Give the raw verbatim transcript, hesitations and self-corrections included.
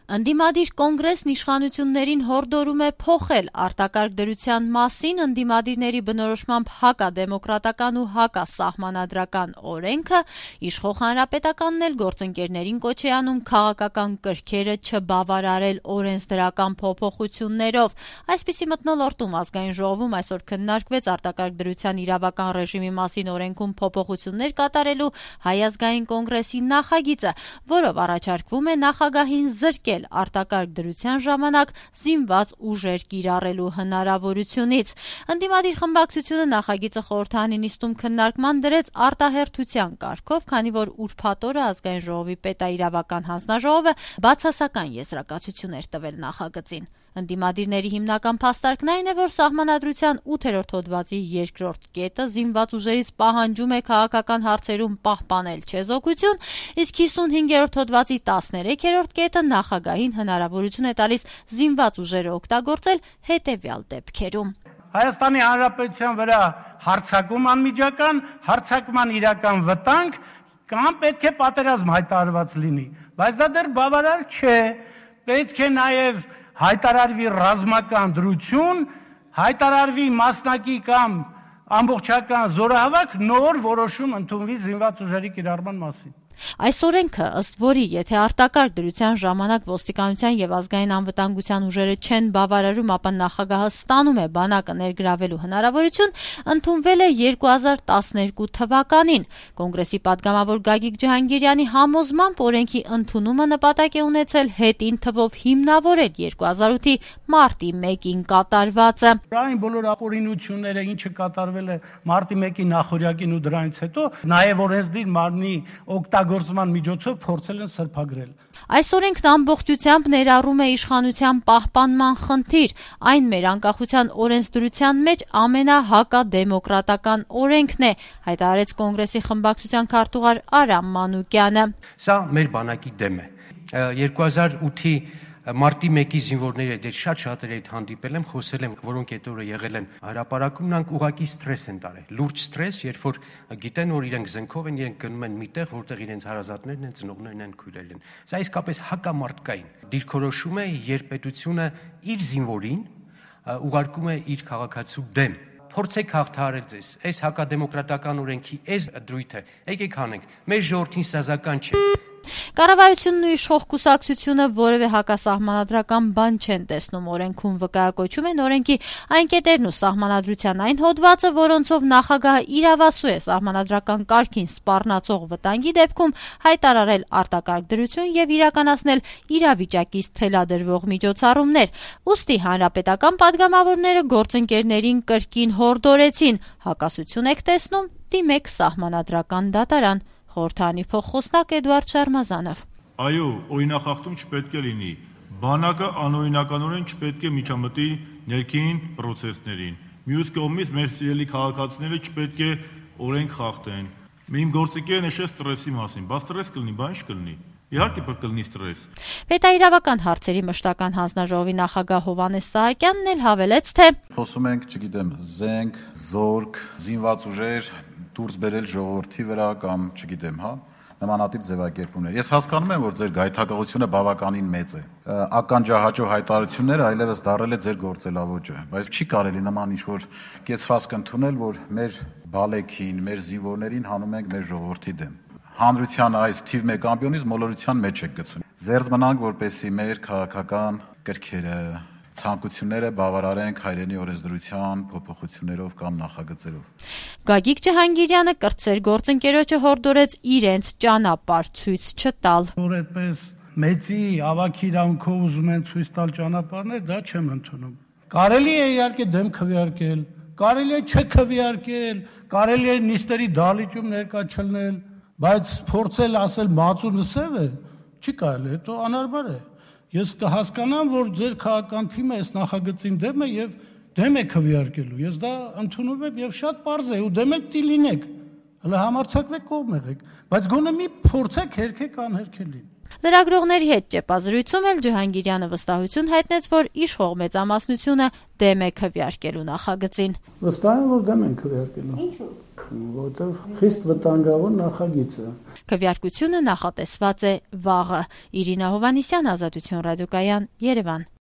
Ընդդիմադիր կոնգրեսն իշխանություններին հորդորում է փոխել արտակարգ դրության մասին ընդդիմադիրների բնորոշմամբ հակադեմոկրատական ու հակասահմանադրական օրենքը, իշխող հանրապետականն էլ գործընկերներին կոչ է անում քաղաքական կրքերը չբավարարել օրենսդրական փոփոխություններով։ Այսպիսի մթնոլորտում Ազգային ժողովում այսօր քննարկվեց արտակարգ դրության իրավական ռեժիմի մասին օրենքում փոփոխություններ կատարելու Հայ ազգային կոնգրեսի նախագիծը, որով առաջարկվում է նախագահին զրկել արտակարգ դրության ժամանակ զինված ուժեր կիրառելու հնարավորությունից։ Ընդդիմադիր խմբակցությունը նախագիծը խորհրդարանի նիստում քննարկման դրեց արտահերթության կարգով, քանի որ ուրբաթ օրը Ազգային ժողովի պետաիրավական հանձնաժողովը բացասական եզրակացություն էր տվել նախագծին։ Ընդդիմադիրների հիմնական փաստարկն այն է, որ Սահմանադրության ութերորդ հոդվածի երկրորդ կետը զինված ուժերից պահանջում է քաղաքական հարցերում պահպանել չեզոքություն, իսկ հիսունհինգերորդ հոդվածի տասներեքերորդ կետը նախագահին հնարավորություն է տալիս զինված ուժերը օգտագործել հետևյալ դեպքերում. Հայաստանի Հանրապետության վրա հարձակում անմիջական, հարձակման իրական վտանգ կամ պետք է պատերազմ հայտարարված լինի, բայց դա դեռ բավարար չէ, պետք է նաև հայտարարվի ռազմական դրություն, հայտարարվի մասնակի կամ ամբողջական զորահավաք, նոր որոշում ընդունվի զինված ուժերի կիրառման մասին։ Այս օրենքը, ըստ որի, եթե արտակարգ դրության ժամանակ ոստիկանության եւ ազգային անվտանգության ուժերը չեն բավարարում, ապա նախագահը ստանում է բանակը ներգրավելու հնարավորություն, ընդունվել է երկու հազար տասներկու թվականին։ Կոնգրեսի падգամավոր Գագիկ Ջհանգիրյանի համոզմամբ օրենքի ընդունումը նպատակ է ունեցել հետին թվով հիմնավորել երկու հազար ութի մարտի մեկին կատարվածը։ Այն բոլոր ապօրինությունները, ինչը կատարվել է մարտի մեկի նախօրյակին ու դրանից հետո, նաեւ օրենսդիր մարմնի օգտագործման միջոցով փորձել են սրբագրել։ Այս օրենքն ամբողջությամբ ներառում է իշխանության պահպանման խնդիր, այն մեր անկախության օրենսդրության մեջ ամենահակադեմոկրատական օրենքն է, հայտարարեց կոնգրեսի խմբակցության քարտուղար Արամ Մանուկյանը։ Սա մեր բանակի դեմ է։ երկու հազար ութի մարտի մեկի զինվորների հետ շատ շատերի հետ հանդիպել եմ, խոսել եմ, որոնք այդ օրը եղել են հրապարակում, նրանք ուղղակի ստրես են տարել, լուրջ ստրես, երբ որ գիտեն, որ իրենք զենքով են, իրենք գնում են միտեղ, որտեղ իրենց հարազատներն են, ծնողներն են, քույրերն են։ Սա իսկապես հակամարտկային դիրքորոշում է, երբ պետությունը իր զինվորին ուղարկում է իր քաղաքացու դեմ։ Փորձեք հաղթահարել ձեզ, այս հակադեմոկրատական օրենքի այս դրույթը, եկեք հանենք, մեր ժողովրդին սազական չէ։ Կառավարությունն ու իշխող կուսակցությունը որևէ հակասահմանադրական բան չեն տեսնում օրենքում, վկայակոչում են օրենքի այն կետերն ու սահմանադրության այն հոդվածը, որոնցով նախագահը իրավասու է սահմանադրական կարգին սպառնացող վտանգի դեպքում հայտարարել արտակարգ դրություն եւ իրականացնել իրավիճակից թելադրվող միջոցառումներ։ Ուստի հանրապետական падգամավորները գործընկերներին կրկին հորդորեցին. հակասություն եք տեսնում, դիմեք սահմանադրական դատարան։ Խորհրդարանի փոխխոսնակ Էդուարդ Շարմազանով. Այո, օրինախախտում չպետք է լինի։ Բանակը անօրինականորեն չպետք է միջամտի ներքին պրոցեսներին։ Մյուս կողմից մեր սիրելի քաղաքացիները չպետք է օրենք խախտեն։ Իմ գործընկերը նշեց ստրեսի մասին, բա ստրես կլինի, բան ինչ կլինի։ Իհարկե պետք է լինի ստրես։ Պետաիրավական հարցերի մշտական հանձնաժողովի նախագահ Հովհաննես Սահակյանն էլ հավելեց, թե խոսում ենք, չգիտեմ, զենք, զորք, զինված ուժեր դուրս բերել ժողովրդի վրա կամ, չգիտեմ, հա, նմանատիպ ձևակերպումներ։ Ես հասկանում եմ, որ ձեր գայթակղությունը բավականին մեծ է։ Ականջահաճո հայտարարությունները այլևս դարել է ձեր գործելավոճը, բայց չի կարելի նման ինչ-որ կեցվածք ընդունել, որ մեր բալեքին, մեր զինվորներին հանում ենք մեր ժողովրդի դեմ։ Հանրության այս թիվ մեկ ամբիոնից մոլորության մեջ եք գցում։ Զերծ մնանք, որպեսզի մեր քաղաքական կրքերը, ցանկությունները բավարարենք հայրենի օրենսդրության փոփոխություններով կամ նախագծերով։ Գագիկ Ջհանգիրյանը կրտսեր գործընկերոջը հորդորեց իրենց ճանապարհ ցույց չտալ։ Որ այդպես մեծի ավագ իրանքով ուզում են ցույց տալ ճանապարհներ, դա չեմ ընդունում։ Կարելի է իհարկե դեմ քվեարկել, կարելի է չքվեարկել, կարելի է նիստերի դահլիճում ներկա չլնել, բայց փորձել ասել մածունը սև է, չի կարելի, հետո անարբար է։ Ես կհասկանամ, որ ձեր քաղաքական թիմը այս նախագծին դեմ է եւ դեմ է քվեարկելու։ Ես դա ընդունում եմ եւ շատ պարզ է ու դեմ եք դի լինեք։ Հələ համարցակվեք կողմ եղեք, բայց գոնե մի փորձեք հերքեք անհերքելին։ Լրագրողների հետ ճեպազրույցում էլ Ջհանգիրյանը վստահություն հայտնեց, որ իշխող մեծամասնությունը դեմ է քվեարկելու նախագծին։ Վստահ եմ, որ դեմ են քվեարկելու։ Ինչու՞։ որտեղ խիստ վտանգավոր նախագիծ է։ Քվեարկությունը նախատեսված է վաղը։ Իրինա Հովհաննիսյան, Ազատություն ռադիոկայան, Երևան։